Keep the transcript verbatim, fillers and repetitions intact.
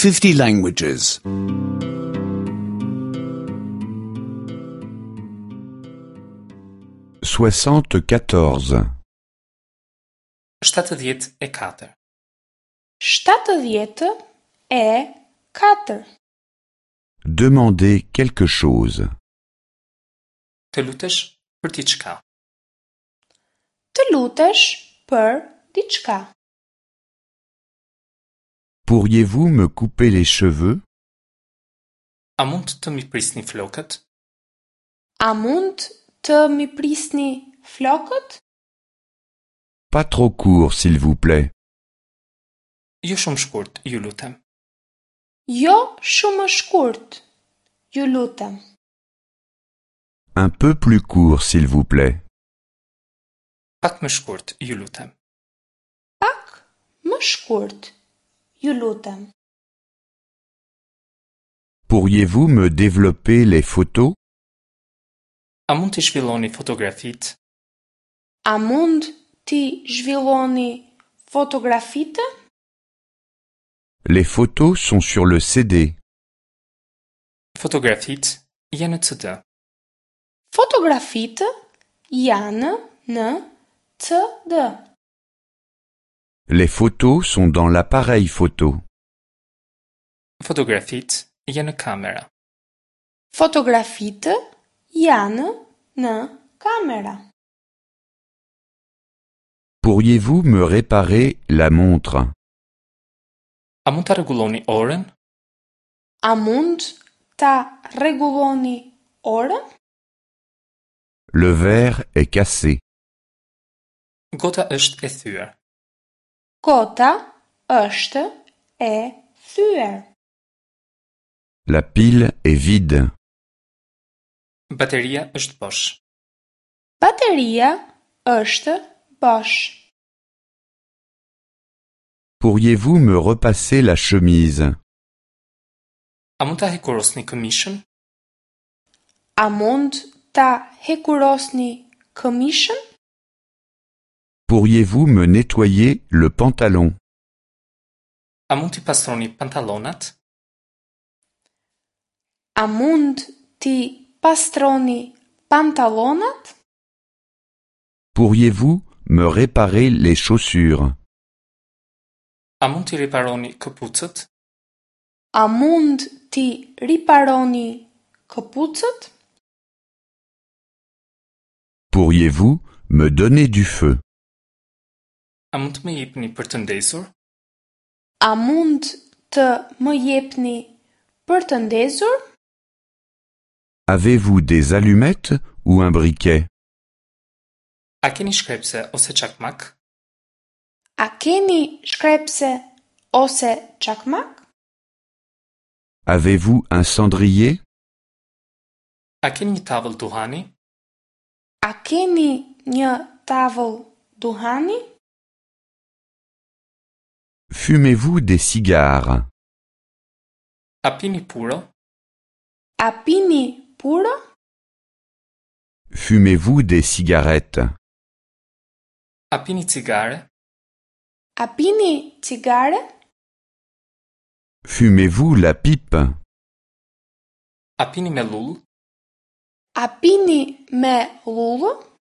fifty languages. Soixante-quatorze. Shtatëdhjetë e katër. Shtatëdhjetë e katër. Demander quelque chose. Të lutesh për diçka. Të lutesh për diçka. Pourriez-vous me couper les cheveux? A mund të mi prisni flokët? A mund të mi prisni flokët? Pas trop court, s'il vous plaît. Jo shumë shkurt, ju lutem. Jo shumë shkurt, ju lutem. Un peu plus court, s'il vous plaît. Pak më shkurt, ju lutem. Pak më shkurt, ju lutem. Pourriez-vous me développer les photos? A mund t'i zhvilloni fotografitë? A mund t'i zhvilloni fotografitë? Les photos sont sur le C D. Fotografitë janë në C D. Fotografitë janë në C D. Les photos sont dans l'appareil photo. Fotografitë janë në kamera. Fotografitë janë në kamera. Pourriez-vous me réparer la montre? A mund ta rregulloni orën? A mund ta rregulloni orën? Le verre est cassé. Gota është e thyer. Gota është e thyer. La pile est vide. Bateria është bosh. Bateria është bosh. Pourriez-vous me repasser la chemise? A mund ta hekurosni këmishën? A mund ta hekurosni këmishën? Pourriez-vous me nettoyer le pantalon? A mund t'i pastroni pantallonat? A mund t'i pastroni pantallonat? Pourriez-vous me réparer les chaussures? A mund t'i riparoni këpucët? A mund t'i riparoni këpucët? Pourriez-vous me donner du feu? A mund të më jepni për të ndezur? A mund të më jepni për të ndezur? Avez-vous des allumettes ou un briquet? A keni shkrepse ose çakmak? A keni shkrepse ose çakmak? Avez-vous un cendrier? A keni një tavël duhani? A keni një tavël duhani? Fumez-vous des cigares? A pini puro? A pini puro? Fumez-vous des cigarettes? A pini cigare? A pini cigare? Fumez-vous la pipe? A pini me llullë? A pini me llullë?